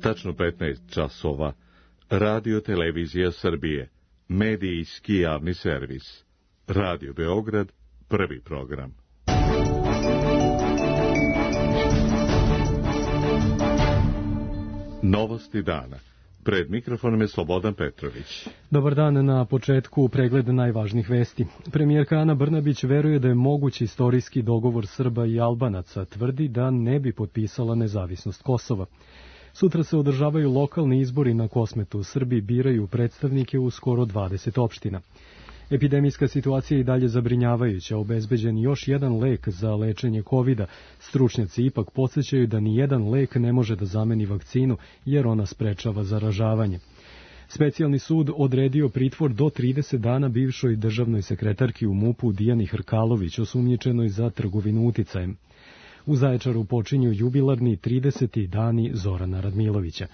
Tačno 15 časova. Radio Televizija Srbije. Medijski javni servis. Radio Beograd, prvi program. Novosti dana. Pred mikrofonom je Slobodan Petrović. Dobar dan, na početku pregled najvažnijih vesti. Premijerka Ana Brnabić veruje da je moguć istorijski dogovor Srba i Albanaca, tvrdi da ne bi potpisala nezavisnost Kosova. Sutra se održavaju lokalni izbori na Kosmetu. Srbi biraju predstavnike u skoro 20 opština. Epidemijska situacija je i dalje zabrinjavajuća, obezbeđen još jedan lek za lečenje COVID-a. Stručnjaci ipak podsećaju da ni jedan lek ne može da zameni vakcinu, jer ona sprečava zaražavanje. Specijalni sud odredio pritvor do 30 dana bivšoj državnoj sekretarki u MUP-u Dijani Hrkalović, osumnjičenoj za trgovinu uticajem. U Zaječaru počinju jubilarni 30. dani Zorana Radmilovića.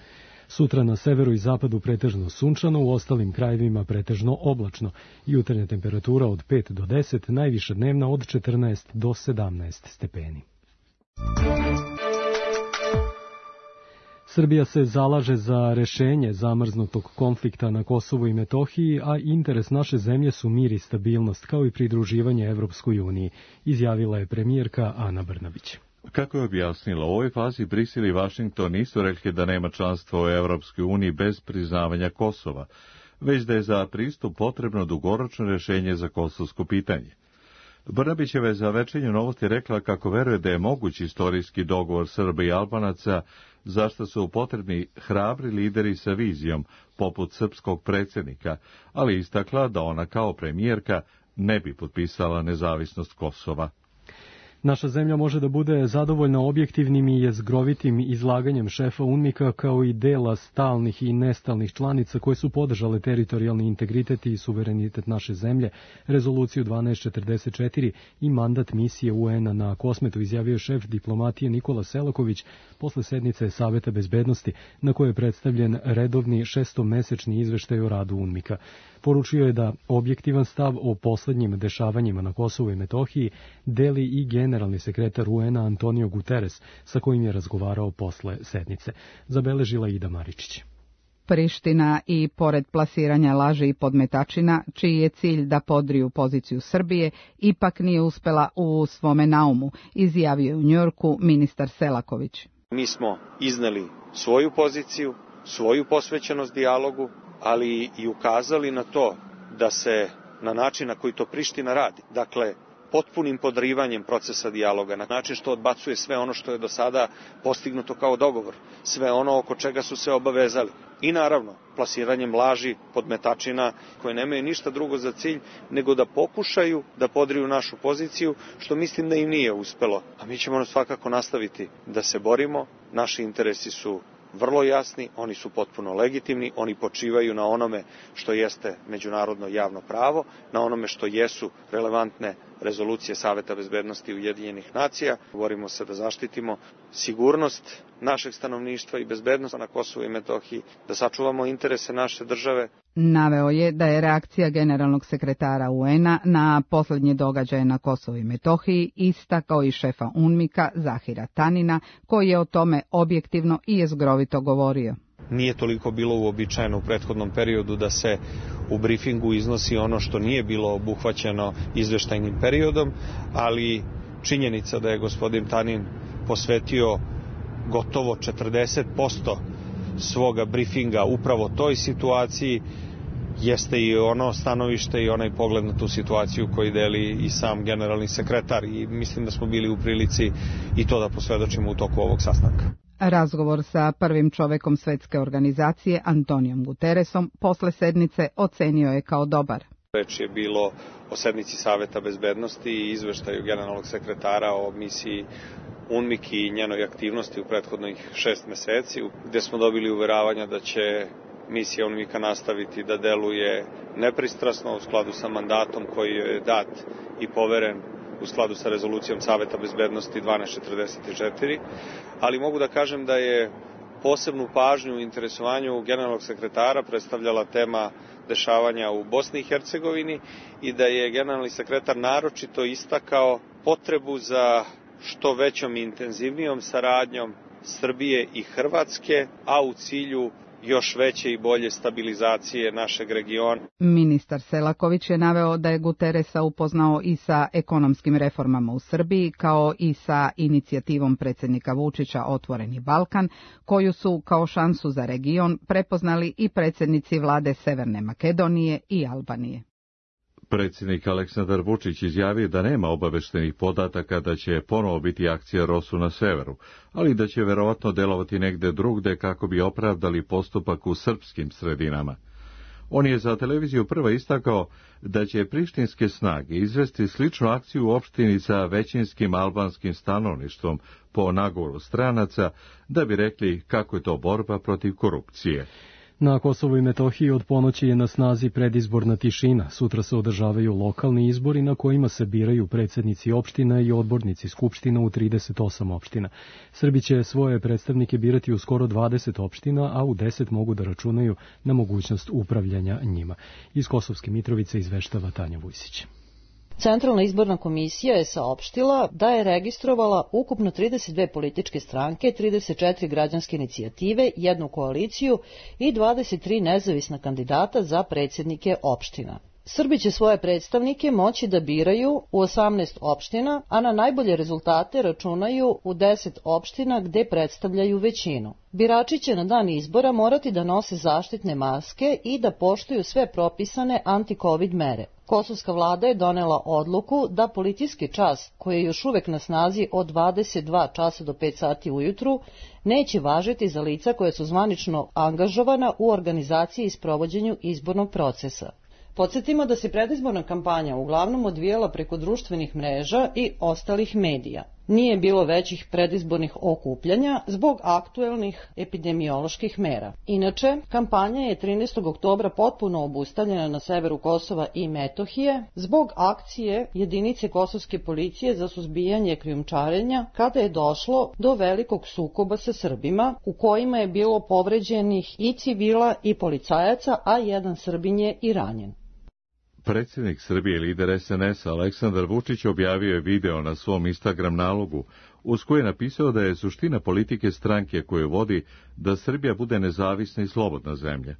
Sutra na severu i zapadu pretežno sunčano, u ostalim krajevima pretežno oblačno. Jutarnja temperatura od 5 do 10, najviša dnevna od 14 do 17 stepeni. Srbija se zalaže za rešenje zamrznutog konflikta na Kosovu i Metohiji, a interes naše zemlje su mir i stabilnost, kao i pridruživanje Evropskoj uniji, izjavila je premijerka Ana Brnabić. Kako je objasnila, u ovoj fazi Brisel i Vašington nisu rekli da nema članstva u Evropskoj uniji bez priznavanja Kosova, već da je za pristup potrebno dugoročno rešenje za kosovsko pitanje. Brnabićeva je za Večernju novosti rekla kako veruje da je moguć istorijski dogovor Srba i Albanaca, zašto su potrebni hrabri lideri sa vizijom, poput srpskog predsjednika, ali istakla da ona kao premijerka ne bi potpisala nezavisnost Kosova. Naša zemlja može da bude zadovoljna objektivnim i jezgrovitim izlaganjem šefa UNMIK-a kao i dela stalnih i nestalnih članica koje su podržale teritorijalni integritet i suverenitet naše zemlje, rezoluciju 1244 i mandat misije UN-a na Kosmetu, izjavio šef diplomatije Nikola Selaković posle sednice Saveta bezbednosti na kojoj je predstavljen redovni šestomesečni izveštaj o radu UNMIK-a. Poručio je da objektivan stav o poslednjim dešavanjima na Kosovu i Metohiji deli i generalni sekretar UN-a Antonio Guterres, sa kojim je razgovarao posle sednice. Zabeležila Ida Maričić. Priština i pored plasiranja laži i podmetačina, čiji je cilj da podriju poziciju Srbije, ipak nije uspela u svome naumu, izjavio je u Njujorku ministar Selaković. Mi smo izneli svoju poziciju, svoju posvećenost dijalogu, ali i ukazali na to da se na način na koji to Priština radi, dakle potpunim podrivanjem procesa dijaloga, na način što odbacuje sve ono što je do sada postignuto kao dogovor, sve ono oko čega su se obavezali. I naravno, plasiranjem laži, podmetačina, koje nemaju ništa drugo za cilj nego da pokušaju da podriju našu poziciju, što mislim da im nije uspelo. A mi ćemo svakako nastaviti da se borimo, naši interesi su vrlo jasni, oni su potpuno legitimni, oni počivaju na onome što jeste međunarodno javno pravo, na onome što jesu relevantne rezolucije Saveta bezbednosti Ujedinjenih nacija. Borimo se da zaštitimo sigurnost našeg stanovništva i bezbednost na Kosovu i Metohiji, da sačuvamo interese naše države. Naveo je da je reakcija generalnog sekretara UN-a na poslednje događaje na Kosovu i Metohiji ista kao i šefa UNMIK-a Zahira Tanina, koji je o tome objektivno i jezgrovito govorio. Nije toliko bilo uobičajeno u prethodnom periodu da se u briefingu iznosi ono što nije bilo obuhvaćeno izveštajnim periodom, ali činjenica da je gospodin Tanin posvetio gotovo 40% svoga briefinga upravo toj situaciji jeste i ono stanovište i onaj pogled na tu situaciju koji deli i sam generalni sekretar, i mislim da smo bili u prilici i to da posvedočimo u toku ovog sastanka. Razgovor sa prvim čovekom svetske organizacije Antonijom Guterresom posle sednice ocenio je kao dobar. Reč je bilo o sednici Saveta bezbednosti i izveštaju generalnog sekretara o misiji UNMIK i njenoj aktivnosti u prethodnih 6 meseci, gde smo dobili uveravanja da će misija UNMIK-a nastaviti da deluje nepristrasno u skladu sa mandatom koji je dat i poveren u skladu sa rezolucijom Saveta bezbednosti 1244, ali mogu da kažem da je posebnu pažnju u interesovanju generalnog sekretara predstavljala tema dešavanja u Bosni i Hercegovini i da je generalni sekretar naročito istakao potrebu za što većom i intenzivnijom saradnjom Srbije i Hrvatske, a u cilju još veće i bolje stabilizacije našeg regiona. Ministar Selaković je naveo da je Guterresa upoznao i sa ekonomskim reformama u Srbiji, kao i sa inicijativom predsjednika Vučića Otvoreni Balkan, koju su kao šansu za region prepoznali i predsjednici vlade Severne Makedonije i Albanije. Predsjednik Aleksandar Vučić izjavio da nema obaveštenih podataka da će ponovo biti akcija ROSU na severu, ali da će verovatno delovati negde drugde kako bi opravdali postupak u srpskim sredinama. On je za televiziju prvo istakao da će prištinske snage izvesti sličnu akciju u opštini sa većinskim albanskim stanovništvom po nagovoru stranaca, da bi rekli kako je to borba protiv korupcije. Na Kosovu i Metohiji od ponoći je na snazi predizborna tišina. Sutra se održavaju lokalni izbori na kojima se biraju predsjednici opština i odbornici skupština u 38 opština. Srbi će svoje predstavnike birati u skoro 20 opština, a u 10 mogu da računaju na mogućnost upravljanja njima. Iz Kosovske Mitrovice izveštava Tanja Vujsić. Centralna izborna komisija je saopštila da je registrovala ukupno 32 političke stranke, 34 građanske inicijative, jednu koaliciju i 23 nezavisna kandidata za predsjednike opština. Srbi će svoje predstavnike moći da biraju u 18 opština, a na najbolje rezultate računaju u 10 opština gde predstavljaju većinu. Birači će na dan izbora morati da nose zaštitne maske i da poštuju sve propisane anti-covid mere. Kosovska vlada je donela odluku da policijski čas, koji je još uvek na snazi od 22 časa do 5 sati ujutru, neće važiti za lica koja su zvanično angažovana u organizaciji i sprovođenju izbornog procesa. Podsjetimo da se predizborna kampanja uglavnom odvijala preko društvenih mreža i ostalih medija. Nije bilo većih predizbornih okupljanja zbog aktuelnih epidemioloških mera. Inače, kampanja je 13. oktobra potpuno obustavljena na severu Kosova i Metohije zbog akcije jedinice kosovske policije za suzbijanje krijumčarenja, kada je došlo do velikog sukoba sa Srbima, u kojima je bilo povređenih i civila i policajaca, a jedan Srbin je i ranjen. Predsjednik Srbije, lider SNS-a Aleksandar Vučić objavio je video na svom Instagram nalogu, uz koji je napisao da je suština politike stranke koju vodi da Srbija bude nezavisna i slobodna zemlja.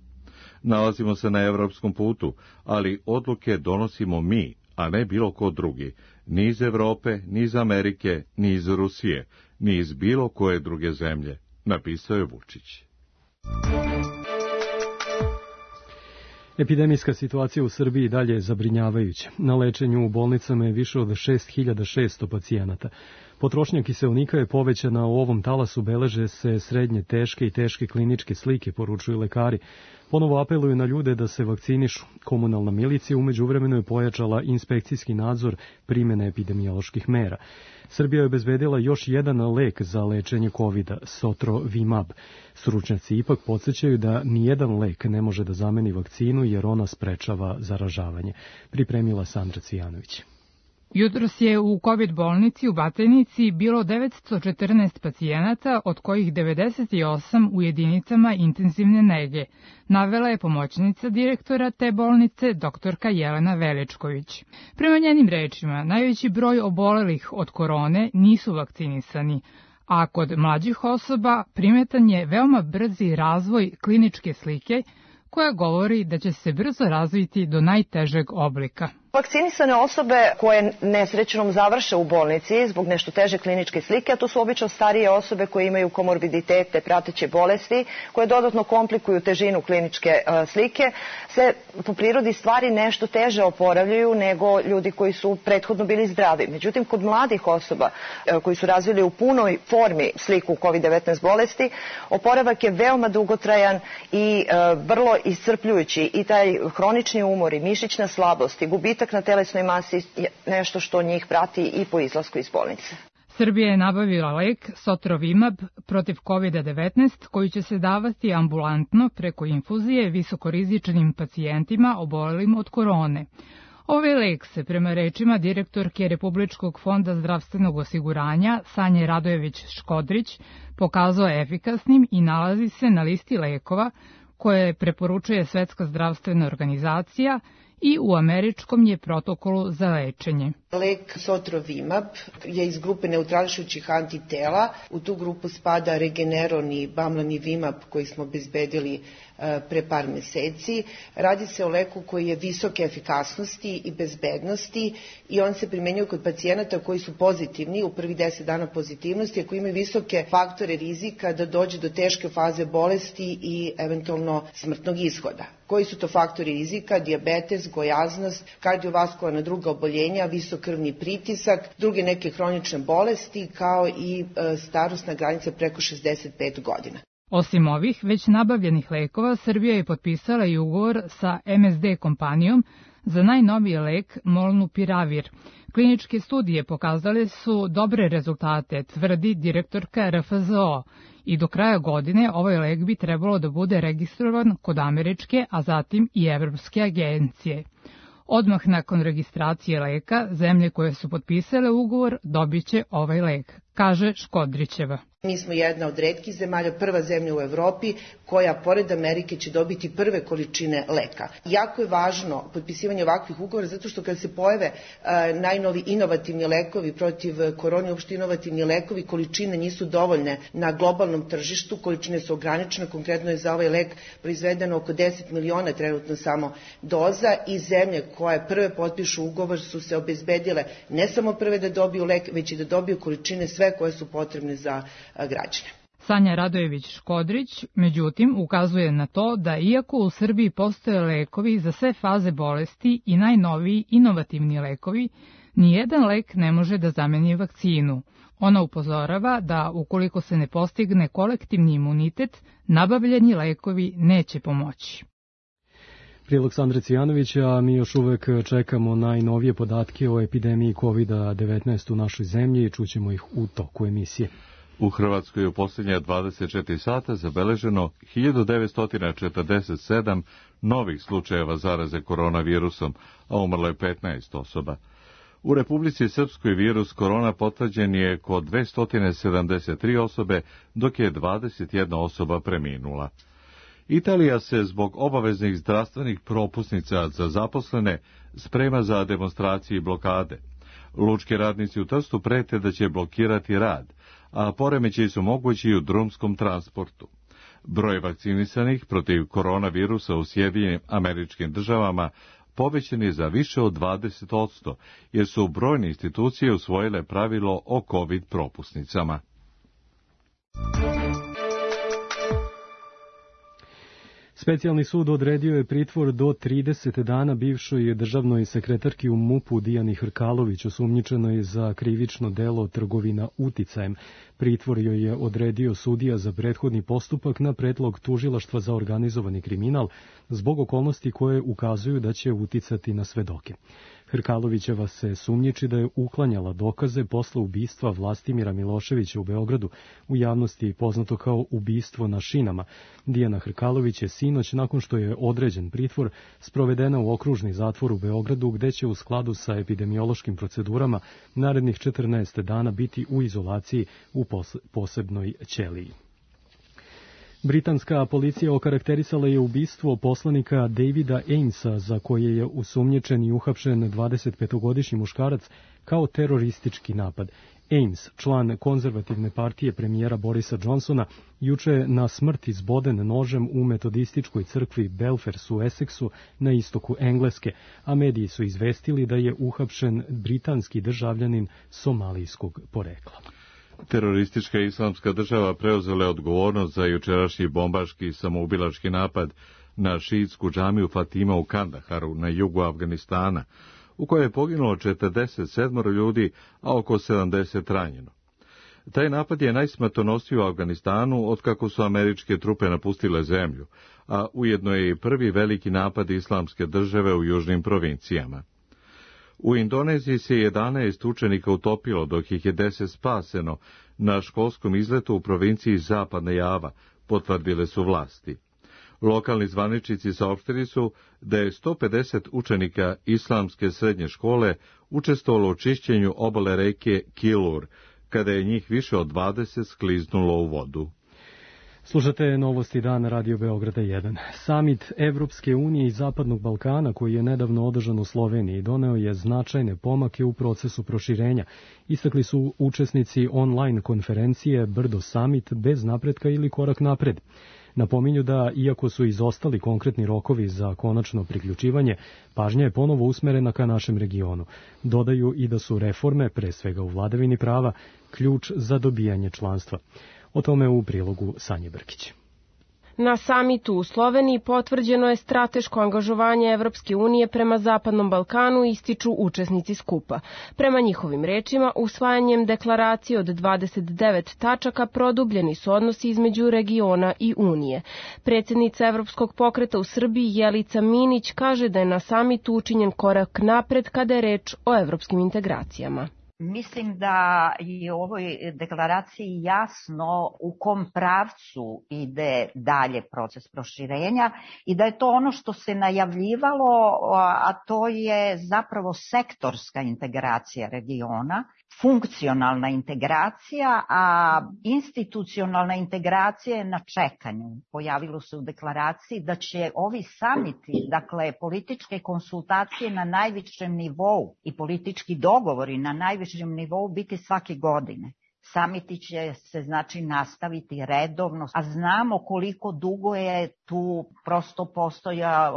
Nalazimo se na evropskom putu, ali odluke donosimo mi, a ne bilo ko drugi, ni iz Evrope, ni iz Amerike, ni iz Rusije, ni iz bilo koje druge zemlje, napisao je Vučić. Epidemijska situacija u Srbiji dalje je zabrinjavajuća. Na lečenju u bolnicama je više od 6600 pacijenata. Potrošnja kiseonika je povećana, u ovom talasu beleže se srednje teške i teške kliničke slike, poručuju lekari. Ponovo apeluju na ljude da se vakcinišu. Komunalna milicija umeđuvremenu je pojačala inspekcijski nadzor primjene epidemioloških mera. Srbija je obezbedila još jedan lek za lečenje COVID-a, Sotrovimab. Stručnjaci ipak podsjećaju da nijedan lek ne može da zameni vakcinu jer ona sprečava zaražavanje. Pripremila Sandra Cvijanović. Jutros je u COVID bolnici u Batajnici bilo 914 pacijenata, od kojih 98 u jedinicama intenzivne nege, navela je pomoćnica direktora te bolnice, doktorka Jelena Veličković. Prema njenim rečima, najveći broj obolelih od korone nisu vakcinisani, a kod mlađih osoba primetan je veoma brzi razvoj kliničke slike, koja govori da će se brzo razviti do najtežeg oblika. Vakcinisane osobe koje nesrećnom završe u bolnici zbog nešto teže kliničke slike, a to su obično starije osobe koje imaju komorbiditete, prateće bolesti, koje dodatno komplikuju težinu kliničke slike, se po prirodi stvari nešto teže oporavljaju nego ljudi koji su prethodno bili zdravi. Međutim, kod mladih osoba koji su razvili u punoj formi sliku COVID-19 bolesti, oporavak je veoma dugotrajan i vrlo iscrpljujući, i taj hronični umor i mišićna slabost i gubitak na telesnoj masi je nešto što njih prati i po izlasku iz bolnice. Srbija je nabavila lek Sotrovimab protiv COVID-19 koji će se davati ambulantno preko infuzije visokorizičnim pacijentima obolelim od korone. Ovaj lek se, prema rečima direktorke Republičkog fonda zdravstvenog osiguranja Sanje Radojević-Škodrić, pokazao efikasnim i nalazi se na listi lekova koje preporučuje Svetska zdravstvena organizacija i u američkom je protokolu za lečenje. Lek Sotrovimab je iz grupe neutrališućih antitela. U tu grupu spada Regeneron i Bamlanivimab koji smo obezbedili pre par meseci. Radi se o leku koji je visoke efikasnosti i bezbednosti i on se primenjuje kod pacijenata koji su pozitivni u prvih 10 dana pozitivnosti, a koji imaju visoke faktore rizika da dođe do teške faze bolesti i eventualno smrtnog ishoda. Koji su to faktori rizika? Dijabetes, gojaznost, kardiovaskularna druga oboljenja, visok krvni pritisak, druge neke hronične bolesti, kao i starosna granica preko 65 godina. Osim ovih već nabavljenih lekova, Srbija je potpisala i ugovor sa MSD kompanijom za najnoviji lek Molnupiravir. Kliničke studije pokazale su dobre rezultate, tvrdi direktorka RFZO, i do kraja godine ovaj lek bi trebalo da bude registrovan kod američke, a zatim i evropske agencije. Odmah nakon registracije leka, zemlje koje su potpisale ugovor dobiće ovaj lek, kaže Škodrićeva. Mi smo jedna od retkih zemalja, prva zemlja u Evropi koja pored Amerike će dobiti prve količine leka. Jako je važno potpisivanje ovakvih ugovora zato što kad se pojave najnovi inovativni lekovi protiv korone, uopšte inovativni lekovi, količine nisu dovoljne na globalnom tržištu, količine su ograničene, konkretno je za ovaj lek proizvedeno oko 10 miliona trenutno samo doza i zemlje koje prve potpišu ugovor su se obezbedile ne samo prve da dobiju lek, već i da dobiju količine sve koje su potrebne za građane. Sanja Radojević-Škodrić, međutim, ukazuje na to da iako u Srbiji postoje lekovi za sve faze bolesti i najnoviji inovativni lekovi, nijedan lek ne može da zameni vakcinu. Ona upozorava da ukoliko se ne postigne kolektivni imunitet, nabavljeni lekovi neće pomoći. Prilog Sandre Cijanovića, mi još uvek čekamo najnovije podatke o epidemiji COVID-19 u našoj zemlji i čućemo ih u toku emisije. U Hrvatskoj je u posljednje 24 sata zabeleženo 1947 novih slučajeva zaraze koronavirusom, a umrlo je 15 osoba. U Republici Srpskoj virus korona potvrđen je kod 273 osobe, dok je 21 osoba preminula. Italija se zbog obaveznih zdravstvenih propusnica za zaposlene sprema za demonstracije i blokade. Lučki radnici u Trstu prete da će blokirati rad, a poremećaji su mogući i u drumskom transportu. Broj vakcinisanih protiv koronavirusa u Sjedinjenim Američkim Državama povećan je za više od 20%, jer su brojne institucije usvojile pravilo o COVID propusnicama. Specijalni sud odredio je pritvor do 30 dana bivšoj državnoj sekretarki u MUP-u Dijani Hrkalović, osumnjičenoj za krivično delo trgovina uticajem. Pritvor joj je odredio sudija za prethodni postupak na predlog tužilaštva za organizovani kriminal zbog okolnosti koje ukazuju da će uticati na svedoke. Hrkalovićeva se sumnjiči da je uklanjala dokaze posle ubistva Vlastimira Miloševića u Beogradu, u javnosti poznato kao ubistvo na šinama. Dijana Hrkalović je sinoć, nakon što je određen pritvor, sprovedena u okružni zatvor u Beogradu, gde će u skladu sa epidemiološkim procedurama narednih 14 dana biti u izolaciji u posebnoj ćeliji. Britanska policija okarakterisala je ubistvo poslanika Davida Amesa, za koje je osumnjičen i uhapšen 25-godišnji muškarac, kao teroristički napad. Ames, član konzervativne partije premijera Borisa Johnsona, juče je na smrt izboden nožem u metodističkoj crkvi Belfers u Essexu na istoku Engleske, a mediji su izvestili da je uhapšen britanski državljanin somalijskog porekla. Teroristička islamska država preuzela je odgovornost za jučerašnji bombaški samoubilački napad na šiitsku džamiju Fatima u Kandaharu na jugu Afganistana, u kojoj je poginulo 47 ljudi, a oko 70 ranjeno. Taj napad je najsmrtonosniji u Afganistanu otkako su američke trupe napustile zemlju, a ujedno je i prvi veliki napad islamske države u južnim provincijama. U Indoneziji se 11 učenika utopilo, dok ih je 10 spaseno na školskom izletu u provinciji Zapadna Java, potvrdile su vlasti. Lokalni zvaničnici saopštili su da je 150 učenika islamske srednje škole učestvovalo u čišćenju obale reke Kilur, kada je njih više od 20 skliznulo u vodu. Slušate novosti dana Radio Beograda 1. Samit Evropske unije i Zapadnog Balkana, koji je nedavno održan u Sloveniji, doneo je značajne pomake u procesu proširenja. Istakli su učesnici online konferencije Brdo Samit bez napretka ili korak napred. Napominju da, iako su izostali konkretni rokovi za konačno priključivanje, pažnja je ponovo usmerena ka našem regionu. Dodaju i da su reforme, pre svega u vladavini prava, ključ za dobijanje članstva. O tome u prilogu Sanje Brkić. Na samitu u Sloveniji potvrđeno je strateško angažovanje Evropske unije prema Zapadnom Balkanu, ističu učesnici skupa. Prema njihovim rečima, usvajanjem deklaracije od 29 tačaka produbljeni su odnosi između regiona i Unije. Predsjednica Evropskog pokreta u Srbiji Jelica Minić kaže da je na samitu učinjen korak napred kada je reč o evropskim integracijama. Mislim da je u ovoj deklaraciji jasno u kom pravcu ide dalje proces proširenja i da je to ono što se najavljivalo, a to je zapravo sektorska integracija regiona, funkcionalna integracija, a institucionalna integracija je na čekanju. Pojavilo se u deklaraciji da će ovi samiti, dakle političke konsultacije na najvišem nivou i politički dogovori na najvišem nivou biti svake godine. Samiti će se znači nastaviti redovno, a znamo koliko dugo je tu prosto postoja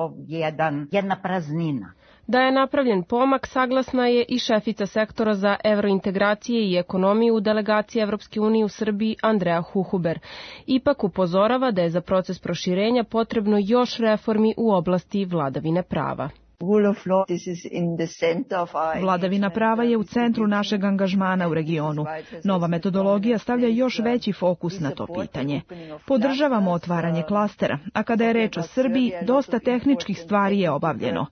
jedna praznina. Da je napravljen pomak, saglasna je i šefica sektora za evrointegracije i ekonomiju u delegaciji Evropske unije u Srbiji Andrea Huhuber. Ipak upozorava da je za proces proširenja potrebno još reformi u oblasti vladavine prava. Vladavina prava je u centru našeg angažmana u regionu. Nova metodologija stavlja još veći fokus na to pitanje. Podržavamo otvaranje klastera, a kada je reč o Srbiji, dosta tehničkih stvari je obavljeno.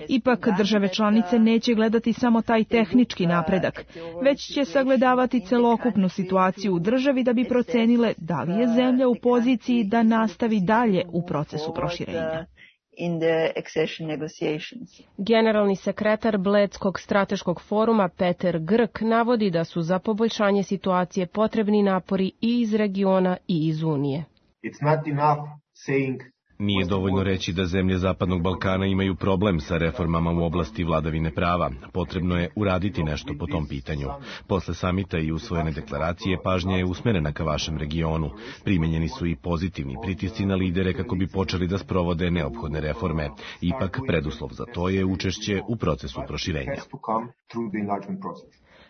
Ipak države članice neće gledati samo taj tehnički napredak, već će sagledavati celokupnu situaciju u državi da bi procenile da li je zemlja u poziciji da nastavi dalje u procesu proširenja. Generalni sekretar Bledskog strateškog foruma Peter Grk navodi da su za poboljšanje situacije potrebni napori i iz regiona i iz Unije. Nije dovoljno reći da zemlje Zapadnog Balkana imaju problem sa reformama u oblasti vladavine prava. Potrebno je uraditi nešto po tom pitanju. Posle samita i usvojene deklaracije pažnja je usmerena ka vašem regionu. Primenjeni su i pozitivni pritisci na lidere kako bi počeli da sprovode neophodne reforme. Ipak preduslov za to je učešće u procesu proširenja.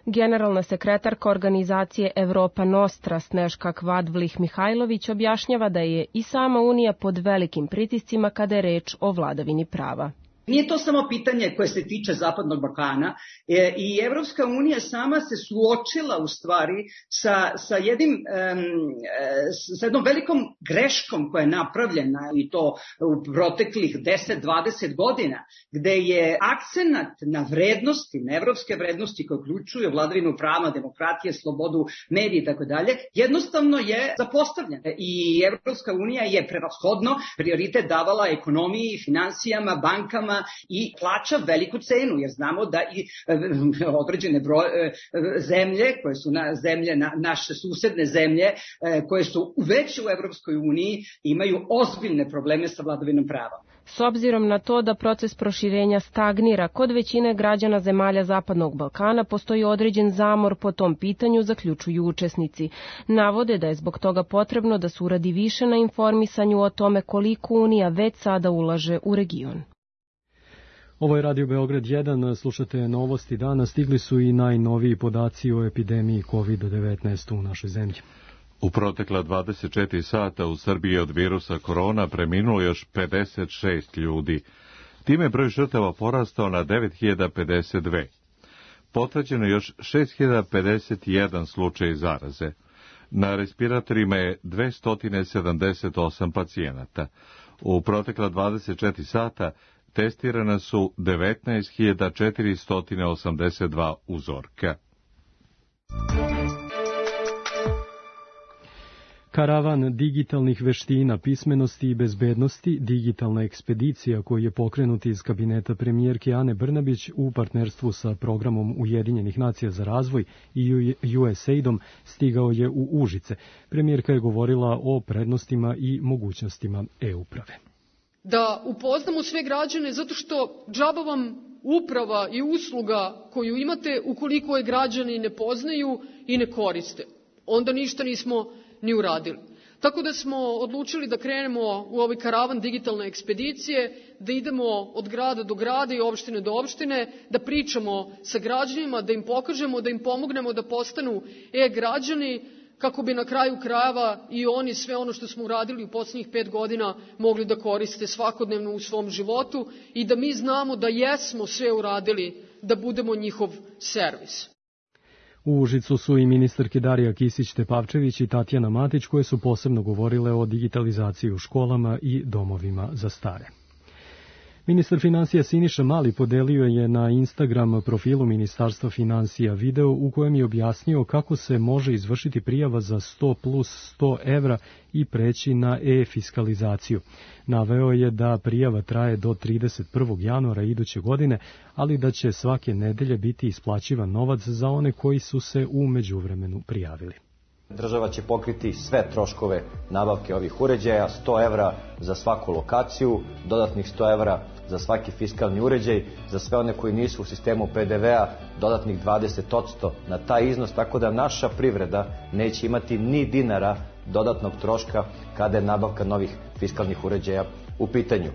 Generalna sekretarka organizacije Evropa Nostra Sneška Kvadvlih-Mihajlović objašnjava da je i sama Unija pod velikim pritiscima kada je reč o vladavini prava. Nije to samo pitanje koje se tiče Zapadnog Balkana i Evropska unija sama se suočila u stvari sa jednom velikom greškom koja je napravljena i to u proteklih 10-20 godina, gde je akcenat na vrednosti, na evropske vrednosti koje uključuju vladavinu prava, demokratije, slobodu, medije i tako dalje, jednostavno je zapostavljen. I Evropska unija je prevashodno prioritet davala ekonomiji, finansijama, bankama i plaća veliku cenu, jer znamo da i određene zemlje, koje su naše susedne zemlje, koje su već u Evropskoj uniji, imaju ozbiljne probleme sa vladavinom prava. S obzirom na to da proces proširenja stagnira, kod većine građana zemalja Zapadnog Balkana postoji određen zamor po tom pitanju, zaključuju učesnici. Navode da je zbog toga potrebno da se uradi više na informisanju o tome koliko Unija već sada ulaže u region. Ovo je Radio Beograd 1, slušate novosti dana, stigli su i najnoviji podaci o epidemiji COVID-19 u našoj zemlji. U protekla 24 sata u Srbiji od virusa korona preminulo još 56 ljudi. Time je broj žrtava porastao na 9052. Potvrđeno još 6051 slučaj zaraze. Na respiratorima je 278 pacijenata. U protekla 24 sata testirana su 19.482 uzorka. Karavan digitalnih veština, pismenosti i bezbednosti, digitalna ekspedicija koju je pokrenut iz kabineta premijerke Ane Brnabić u partnerstvu sa programom Ujedinjenih nacija za razvoj i USAID-om stigao je u Užice. Premijerka je govorila o prednostima i mogućnostima e-uprave. Da upoznamo sve građane zato što džaba vam uprava i usluga koju imate ukoliko je građani ne poznaju i ne koriste. Onda ništa nismo ni uradili. Tako da smo odlučili da krenemo u ovaj karavan digitalne ekspedicije, da idemo od grada do grada i opštine do opštine, da pričamo sa građanima, da im pokažemo, da im pomognemo da postanu e-građani, kako bi na kraju krajeva i oni sve ono što smo uradili u poslednjih 5 godina mogli da koriste svakodnevno u svom životu i da mi znamo da jesmo sve uradili da budemo njihov servis. U Užicu su i ministarke Darija Kisić-Tepavčević i Tatjana Matić koje su posebno govorile o digitalizaciji u školama i domovima za stare. Ministar finansija Siniša Mali podelio je na Instagram profilu Ministarstva finansija video u kojem je objasnio kako se može izvršiti prijava za 100 plus 100 evra i preći na e-fiskalizaciju. Naveo je da prijava traje do 31. januara iduće godine, ali da će svake nedelje biti isplaćivan novac za one koji su se u međuvremenu prijavili. Država će pokriti sve troškove nabavke ovih uređaja, 100 evra za svaku lokaciju, dodatnih 100 evra za svaki fiskalni uređaj, za sve one koji nisu u sistemu PDV-a, dodatnih 20% na taj iznos, tako da naša privreda neće imati ni dinara dodatnog troška kada je nabavka novih fiskalnih uređaja u pitanju.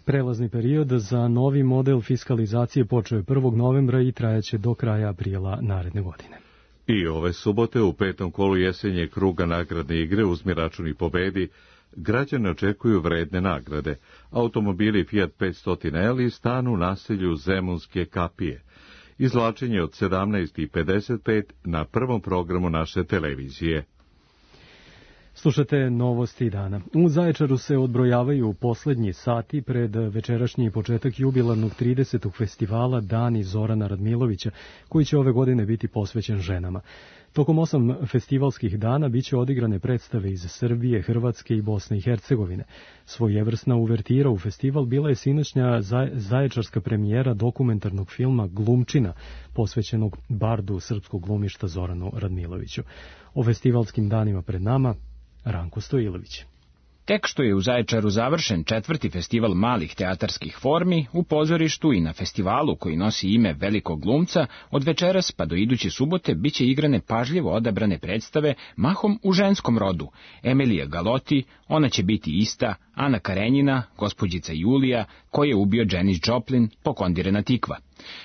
Prelazni period za novi model fiskalizacije počeo je 1. novembra i trajaće do kraja aprila naredne godine. I ove subote u 5. kolu jesenje kruga nagradne igre Uzmi račun i pobedi građane očekuju vredne nagrade. Automobili Fiat 500L i stan u naselju Zemunske kapije. Izvlačenje od 17:55 na prvom programu naše televizije. Slušate novosti dana. U Zaječaru se odbrojavaju poslednji sati pred večerašnji početak jubilarnog 30. festivala Dani Zorana Radmilovića, koji će ove godine biti posvećen ženama. Tokom 8 festivalskih dana biće odigrane predstave iz Srbije, Hrvatske i Bosne i Hercegovine. Svojevrsna uvertira u festival bila je sinoćnja zaječarska premijera dokumentarnog filma Glumčina, posvećenog bardu srpskog glumišta Zoranu Radmiloviću. O festivalskim danima pred nama Ranko Stojilović. Tek što je u Zaječaru završen 4. festival malih teatarskih formi, u pozorištu i na festivalu koji nosi ime velikog glumca, od večeras pa do iduće subote biće igrane pažljivo odabrane predstave mahom u ženskom rodu. Emilija Galoti, Ona će biti ista, Ana Karenjina, Gospođica Julija, Ko je ubio Janis Joplin, Pokondirena tikva.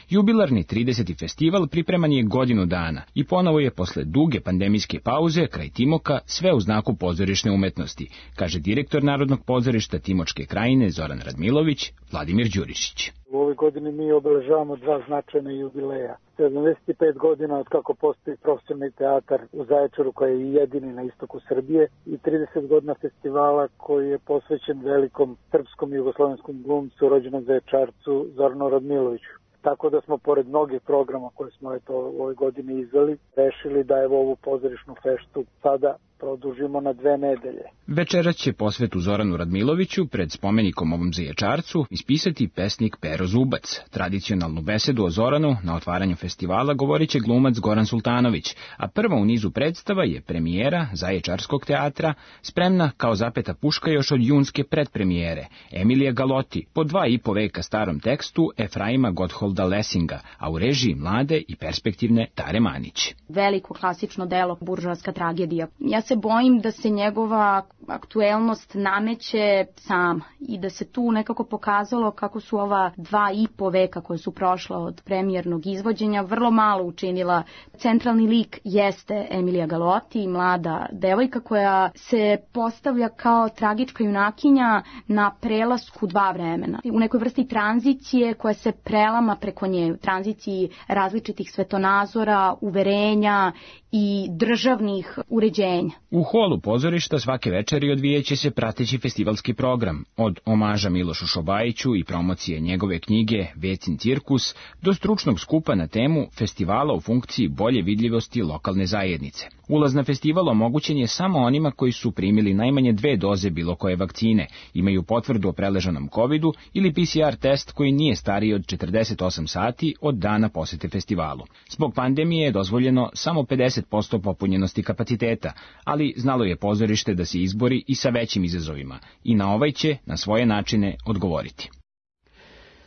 Jubilarni 30. festival pripreman je godinu dana i ponovo je posle duge pandemijske pauze kraj Timoka sve u znaku pozorišne umetnosti, kaže direktor Narodnog pozorišta Timočke krajine Zoran Radmilović, Vladimir Đurišić. U ovoj godini mi obeležavamo 2 značajna jubileja. 75 godina od kako postoji profesionalni teatar u Zaječaru koji je jedini na istoku Srbije i 30 godina festivala koji je posvećen velikom srpskom i jugoslovenskom glumcu rođenom Zaječarcu Zoranu Radmiloviću. Tako da smo, pored mnogih programa koje smo u ovoj godini izveli, rešili da ovu pozorišnu feštu sada produžimo na 2 nedelje. Večeras će posvetu Zoranu Radmiloviću pred spomenikom ovom Zaječarcu ispisati pesnik Pero Zubac. Tradicionalnu besedu o Zoranu na otvaranju festivala govorit će glumac Goran Sultanović, a prva u nizu predstava je premijera Zaječarskog teatra, spremna kao zapeta puška još od junske predpremijere, Emilija Galoti, po 2,5 veka starom tekstu Efraima Gottholda Lessinga, a u režiji mlade i perspektivne Tare Manić. Veliko klasično delo, buržoaska tragedija. Ja se bojim da se njegova aktuelnost nameće sama i da se tu nekako pokazalo kako su ova 2,5 veka koje su prošla od premijernog izvođenja vrlo malo učinila. Centralni lik jeste Emilija Galoti, mlada devojka koja se postavlja kao tragička junakinja na prelasku 2 vremena. U nekoj vrsti tranzicije koja se prelama preko nje, u tranziciji različitih svetonazora, uverenja i državnih uređenja. U holu pozorišta svake večeri večeri odvijeće se prateći festivalski program, od omaža Milošu Šobajiću i promocije njegove knjige Vecin cirkus, do stručnog skupa na temu festivala u funkciji bolje vidljivosti lokalne zajednice. Ulaz na festival omogućen je samo onima koji su primili najmanje 2 doze bilo koje vakcine, imaju potvrdu o preležanom covidu ili PCR test koji nije stariji od 48 sati od dana posete festivalu. Zbog pandemije je dozvoljeno samo 50% popunjenosti kapaciteta, ali znalo je pozorište da se izbori i sa većim izazovima i na ovaj će na svoje načine odgovoriti.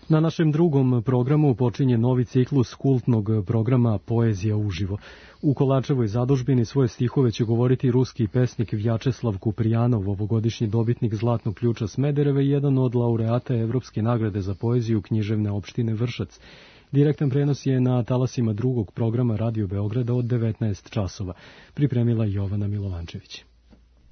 Na našem drugom programu počinje novi ciklus kultnog programa Poezija uživo. U Kolarčevoj zadužbini svoje stihove će govoriti ruski pesnik Vjačeslav Kuprijanov, ovogodišnji dobitnik Zlatnog ključa Smedereve i jedan od laureata Evropske nagrade za poeziju književne opštine Vršac. Direktan prenos je na talasima drugog programa Radio Beograda od 19 časova. Pripremila Jovana Milovančević.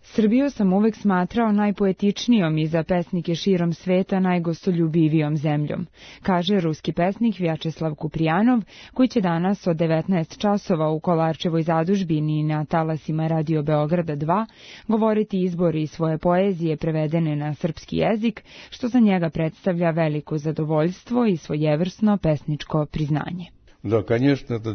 Srbiju sam uvek smatrao najpoetičnijom i za pesnike širom sveta najgostoljubivijom zemljom, kaže ruski pesnik Vjačeslav Kuprijanov, koji će danas od 19 časova u Kolarčevoj zadužbini na talasima Radio Beograda 2 govoriti izbori svoje poezije prevedene na srpski jezik, što za njega predstavlja veliko zadovoljstvo i svojevrsno pesničko priznanje.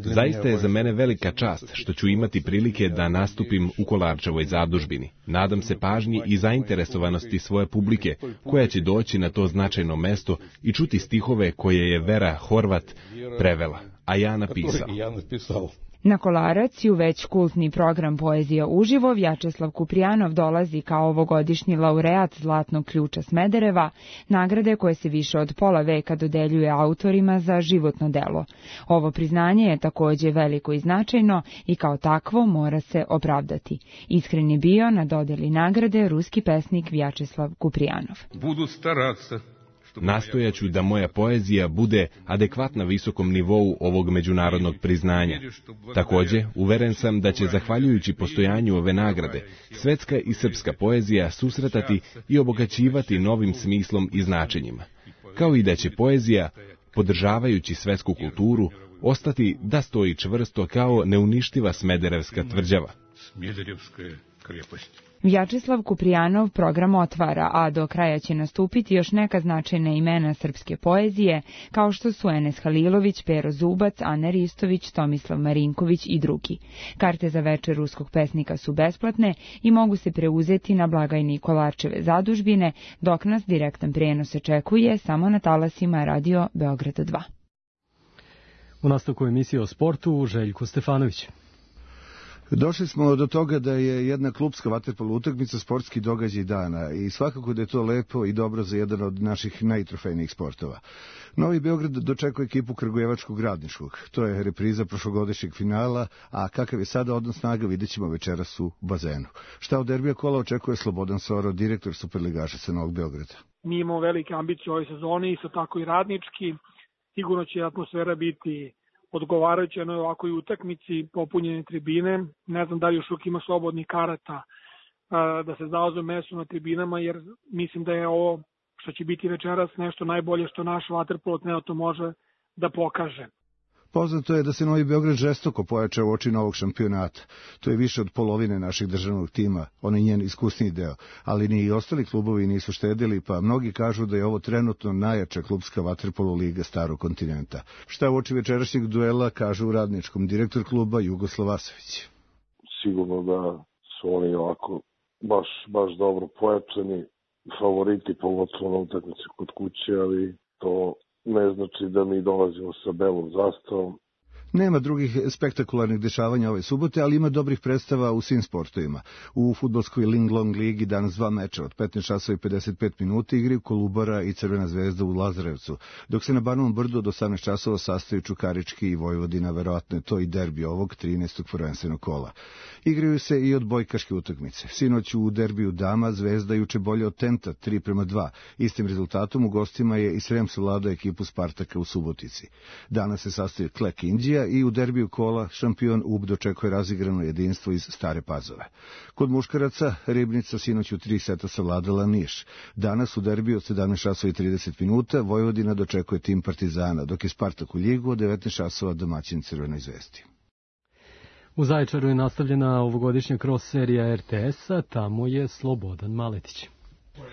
Zaista je za mene velika čast što ću imati prilike da nastupim u Kolarčevoj zadužbini. Nadam se pažnji i zainteresovanosti svoje publike, koja će doći na to značajno mesto i čuti stihove koje je Vera Horvat prevela, a ja napisao. Na Kolarac i u već kultni program Poezija uživo Vjačeslav Kuprijanov dolazi kao ovogodišnji laureat Zlatnog ključa Smedereva, nagrade koje se više od pola veka dodeljuje autorima za životno delo. Ovo priznanje je takođe veliko i značajno i kao takvo mora se opravdati. Iskren je bio na dodeli nagrade ruski pesnik Vjačeslav Kuprijanov. Budu staraca. Nastojaću da moja poezija bude adekvatna visokom nivou ovog međunarodnog priznanja. Takođe, uveren sam da će, zahvaljujući postojanju ove nagrade, svetska i srpska poezija susretati i obogaćivati novim smislom i značenjima, kao i da će poezija, podržavajući svetsku kulturu, ostati da stoji čvrsto kao neuništiva smederevska tvrđava. Vjačeslav Kuprijanov program otvara, a do kraja će nastupiti još neka značajna imena srpske poezije, kao što su Enes Halilović, Pero Zubac, Ana Ristović, Tomislav Marinković i drugi. Karte za večer ruskog pesnika su besplatne i mogu se preuzeti na blagajni Kolarčeve zadužbine, dok nas direktan prenos očekuje samo na talasima Radio Beograda 2. U nastavku emisije o sportu, Željko Stefanović. Došli smo do toga da je jedna klupska vaterpolo utakmica sportski događaj dana i svakako da je to lepo i dobro za jedan od naših najtrofejnijih sportova. Novi Beograd dočekuje ekipu Kragujevačkog Radničkog. To je repriza prošlogodišnjeg finala, a kakav je sada odnos snaga vidjet ćemo večeras u bazenu. Šta od derbija kola očekuje Slobodan Soro, direktor Superligaša sa Novog Beograda? Mi imamo velike ambicije u ovoj sezoni, isto tako i radnički. Sigurno će atmosfera biti odgovarajuće na ovakvoj utakmici, popunjene tribine. Ne znam da li još uvijek ima slobodnih karata da se zauzme mesto na tribinama, jer mislim da je ovo što će biti večeras nešto najbolje što naš vaterpolo trenutno može da pokaže. Poznato je da se Novi Beograd žestoko pojača u oči novog šampionata. To je više od polovine našeg državnog tima, on je njen iskusniji deo, ali ni i ostali klubovi nisu štedili, pa mnogi kažu da je ovo trenutno najjača klubska vaterpolo liga starog kontinenta. Šta u oči večerašnjeg duela kaže u Radničkom direktor kluba Jugoslav Vasović? Sigurno da su oni ovako baš dobro pojačani, favoriti pogotovo na utakmici kod kuće, ali to ne znači da mi dolazimo sa belom zastavom. Nema drugih spektakularnih dešavanja ove subote, ali ima dobrih predstava u svim sportovima. U fudbalskoj Linglong ligi danas 2 meča od 15 časova i 55 minuta igraju Kolubara i Crvena zvezda u Lazarevcu, dok se na Banovom brdu od 18 časova sastaju Čukarički i Vojvodina, verovatno je to i derbi ovog 13. prvenstvenog kola. Igraju se i odbojkaške utakmice. Sinoć u derbiju dama Zvezda juče bolje od Tenta 3:2. Istim rezultatom u gostima je i Srem savladao ekipu Spartaka u Subotici. Danas se sastaju Klek Indija i u derbiju kola šampion UB dočekuje razigrano jedinstvo iz Stare Pazove. Kod muškaraca Ribnica sinoć u 3 seta savladala Niš. Danas u derbiju od 17 časova i 30 minuta Vojvodina dočekuje tim Partizana, dok je Spartak u Ljigu od 19 časova domaćin Crvenoj zvezdi. U Zaječaru je nastavljena ovogodišnja cross serija RTS-a, tamo je Slobodan Maletić.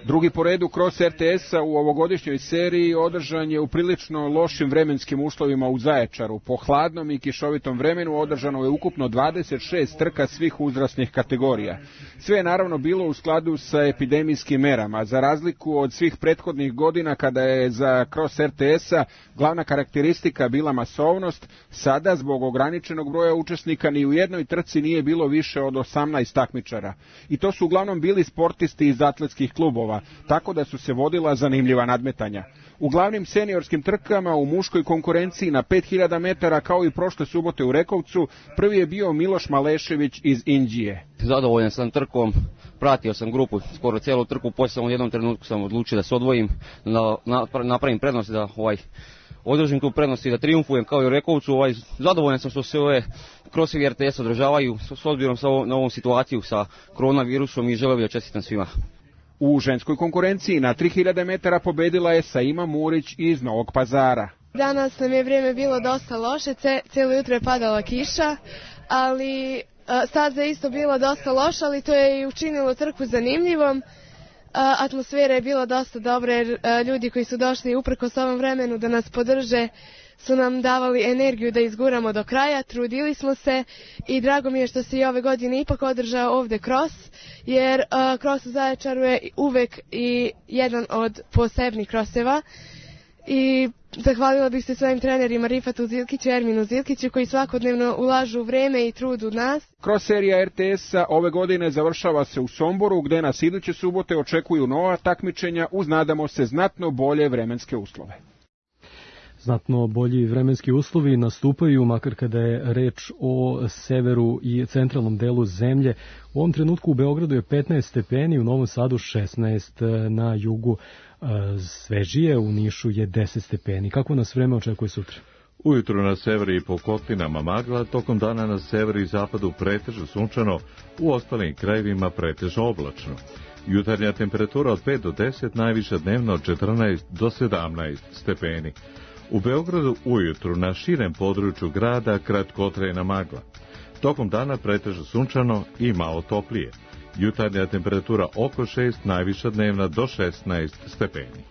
Drugi po redu cross RTS-a u ovogodišnjoj seriji održan je u prilično lošim vremenskim uslovima u Zaječaru. Po hladnom i kišovitom vremenu održano je ukupno 26 trka svih uzrasnih kategorija. Sve je naravno bilo u skladu sa epidemijskim merama. Za razliku od svih prethodnih godina kada je za cross RTS-a glavna karakteristika bila masovnost, sada zbog ograničenog broja učesnika ni u jednoj trci nije bilo više od 18 takmičara. I to su uglavnom bili sportisti iz atletskih klubova, tako da su se vodila zanimljiva nadmetanja. U glavnim seniorskim trkama u muškoj konkurenciji na 5000 metara kao i prošle subote u Rekovcu, prvi je bio Miloš Malešević iz Inđije. Zadovoljan sam trkom, pratio sam grupu skoro cijelu trku, poslije samo u jednom trenutku sam odlučio da se odvojim, napravim prednost, da održim tu prednost i da triumfujem kao i u Rekovcu. Zadovoljan sam što se ove crossevi RTS održavaju s obzirom na ovu situaciju sa koronavirusom i želeo bih da čestitam svima. U ženskoj konkurenciji na 3000 metara pobedila je Saima Murić iz Novog Pazara. Danas nam je vrijeme bilo dosta loše, cijelo jutro je padala kiša, ali staza je isto bila dosta loša, ali to je i učinilo trku zanimljivom. Atmosfera je bila dosta dobra jer ljudi koji su došli uprkos ovom vremenu da nas podrže su nam davali energiju da izguramo do kraja, trudili smo se i drago mi je što se i ove godine ipak održao ovdje cross, jer cross u Zaječaru je uvek i jedan od posebnih crosseva. I zahvalila bih se svojim trenerima Rifatu Zilkiću i Erminu Zilkiću koji svakodnevno ulažu vreme i trud u nas. Cross serija RTS-a ove godine završava se u Somboru, gde nas iduće subote očekuju nova takmičenja uz, nadamo se, znatno bolje vremenske uslove. Znatno bolji vremenski uslovi nastupaju, makar kada je reč o severu i centralnom delu zemlje. U ovom trenutku u Beogradu je 15 stepeni, u Novom Sadu 16, na jugu svežije, u Nišu je 10 stepeni. Kako nas vreme očekuje sutra? Ujutru na severu i po kotlinama magla, tokom dana na severu i zapadu pretežno sunčano, u ostalim krajevima pretežno oblačno. Jutarnja temperatura od 5 do 10, najviša dnevno od 14 do 17 stepeni. U Beogradu ujutru na širem području grada kratkotrajna magla. Tokom dana pretežno sunčano i malo toplije. Jutarnja temperatura oko 6, najviša dnevna do 16 stepeni.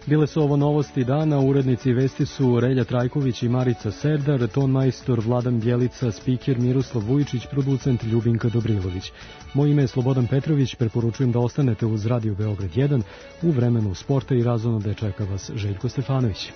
Bile su ovo novosti dana, urednici vesti su Relja Trajković i Marica Serdar, ton majstor Vladan Bjelica, spiker Miroslav Vujičić, producent Ljubinka Dobrilović. Moje ime je Slobodan Petrović, preporučujem da ostanete uz Radio Beograd 1, u vremenu sporta i razonode čeka vas Željko Stefanović.